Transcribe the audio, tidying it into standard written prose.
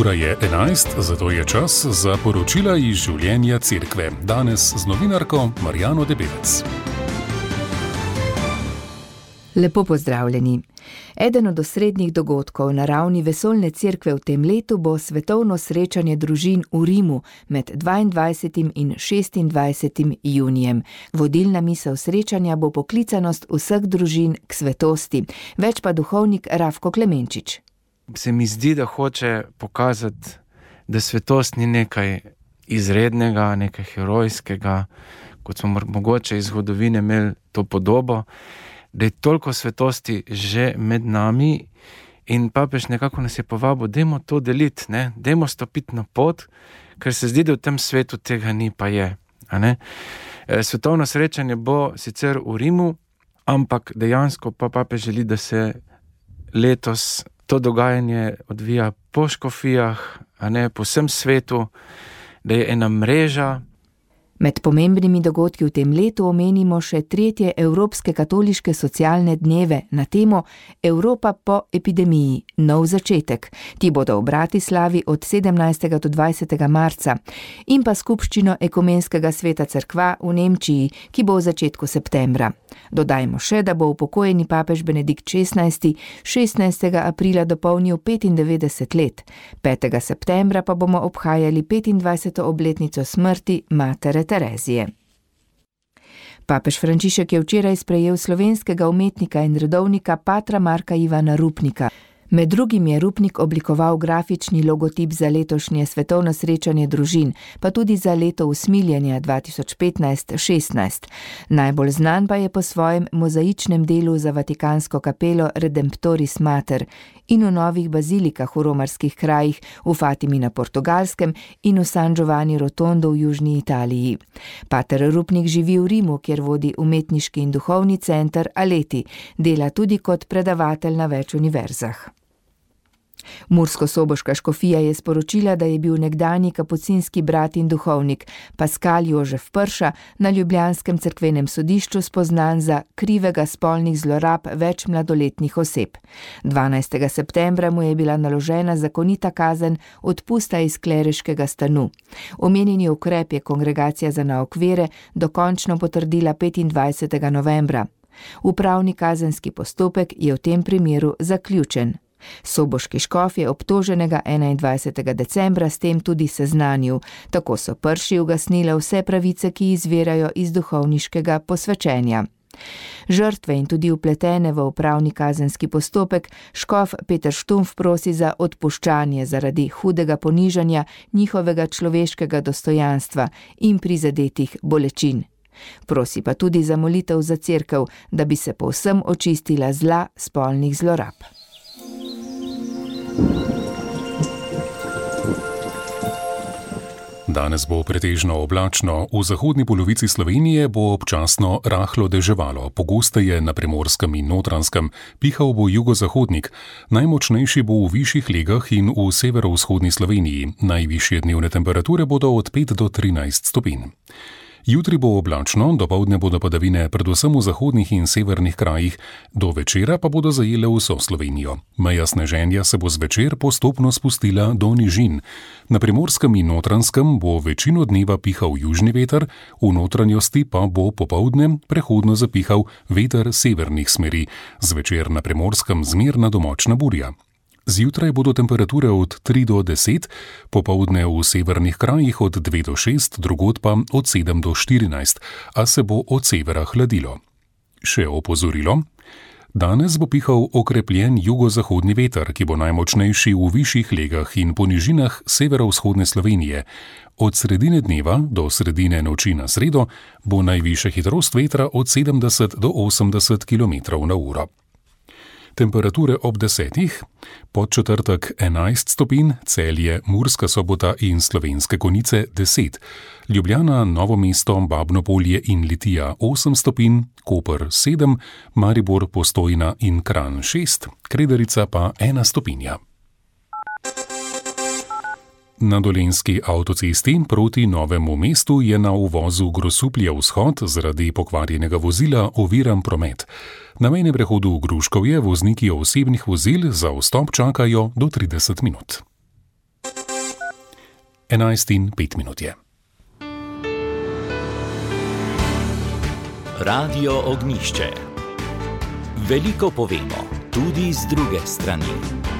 Ura je 11, zato je čas za poročila iz življenja cerkve. Danes z novinarko Marjano Debevec. Lepo pozdravljeni. Eden od osrednjih dogodkov na ravni vesoljne cerkve v tem letu bo svetovno srečanje družin v Rimu med 22. in 26. junijem. Vodilna misel srečanja bo poklicanost vseh družin k svetosti. Več pa duhovnik Rafko Klemenčič. Se mi zdi, da hoče pokazati, da svetost ni nekaj izrednega, nekaj herojskega, kot smo mogoče iz zgodovine imeli to podobo, da je toliko svetosti že med nami in papež nekako nas je povabil, dajmo to deliti, dajmo stopiti na pot, ker se zdi, da v tem svetu tega ni, pa je. Svetovno srečanje bo sicer v Rimu, ampak dejansko pa papež želi, da se letos to dogajanje odvija po škofijah, po vsem svetu, da je ena mreža. Med pomembnimi dogodki v tem letu omenimo še 3. Evropske katoliške socialne dneve na temo Evropa po epidemiji, nov začetek. Ti bodo v Bratislavi od 17. do 20. marca in pa skupščino Ekumenskega sveta cerkva v Nemčiji, ki bo v začetku septembra. Dodajmo še, da bo upokojeni papež Benedikt XVI 16. aprila dopolnil 95 let. 5. septembra pa bomo obhajali 25. obletnico smrti matere Terezije. Papež Frančišek je včeraj sprejel slovenskega umetnika in redovnika patra Marka Ivana Rupnika. Med drugim je Rupnik oblikoval grafični logotip za letošnje svetovno srečanje družin, pa tudi za leto usmiljenja 2015-16. Najbolj znan pa je po svojem mozaičnem delu za Vatikansko kapelo Redemptoris Mater in v novih bazilikah v romarskih krajih, v Fatimi na Portugalskem in v San Giovanni Rotondo v južni Italiji. Pater Rupnik živi v Rimu, kjer vodi umetniški in duhovni center Aleti, dela tudi kot predavatelj na več univerzah. Mursko-soboška škofija je sporočila, da je bil nekdanji kapucinski brat in duhovnik Paskal Jožef Prša na ljubljanskem cerkvenem sodišču spoznan za krivega spolnih zlorab več mladoletnih oseb. 12. septembra mu je bila naložena zakonita kazen odpusta iz kleriškega stanu. Omenjeni ukrep je Kongregacija za nauk vere dokončno potrdila 25. novembra. Upravni kazenski postopek je v tem primeru zaključen. Soboški škof je obtoženega 21. decembra s tem tudi seznanil. Tako so Prši ugasnile vse pravice, ki izvirajo iz duhovniškega posvečenja. Žrtve in tudi vpletene v upravni kazenski postopek škof Peter Štumpf prosi za odpuščanje zaradi hudega ponižanja njihovega človeškega dostojanstva in prizadetih bolečin. Prosi pa tudi za molitev za cerkev, da bi se povsem očistila zla spolnih zlorab. Danes bo pretežno oblačno, v zahodni polovici Slovenije bo občasno rahlo deževalo, pogosteje na Primorskem in Notranjskem, pihal bo jugozahodnik, najmočnejši bo v višjih legah in v severovzhodni Sloveniji, najvišje dnevne temperature bodo od 5 do 13 stopinj. Jutri bo oblačno, dopoldne bodo padavine predvsem v zahodnih in severnih krajih, do večera pa bodo zajele vso Slovenijo. Meja sneženja se bo zvečer postopno spustila do nižin. Na Primorskem in Notranjskem bo večino dneva pihal južni veter, v notranjosti pa bo popoldne prehodno zapihal veter severnih smeri, zvečer na Primorskem zmerna do močna burja. Zjutraj bodo temperature od 3 do 10, popoldne v severnih krajih od 2 do 6, drugod pa od 7 do 14, a se bo od severa hladilo. Še opozorilo. Danes bo pihal okrepljen jugozahodni veter, ki bo najmočnejši v višjih legah in po nižinah severovzhodne Slovenije. Od sredine dneva do sredine noči na sredo bo najvišja hitrost vetra od 70 do 80 km/h. Temperature ob 10, pod četrtek 11 stopinj, Celje, Murska Sobota in Slovenske Konjice 10, Ljubljana, Novo mesto, Babno Polje in Litija 8 stopinj, Koper 7, Maribor, Postojna in Kranj 6, Kredarica pa 1 stopinja. Na Dolenjski avtocesti proti Novemu mestu je na uvozu Grosuplje vzhod zaradi pokvarjenega vozila oviran promet. Na mejnem prehodu v Gruškovje vozniki osebnih vozil za vstop čakajo do 30 minut. 11:05 je. Radio Ognjišče. Veliko povemo, tudi z druge strani.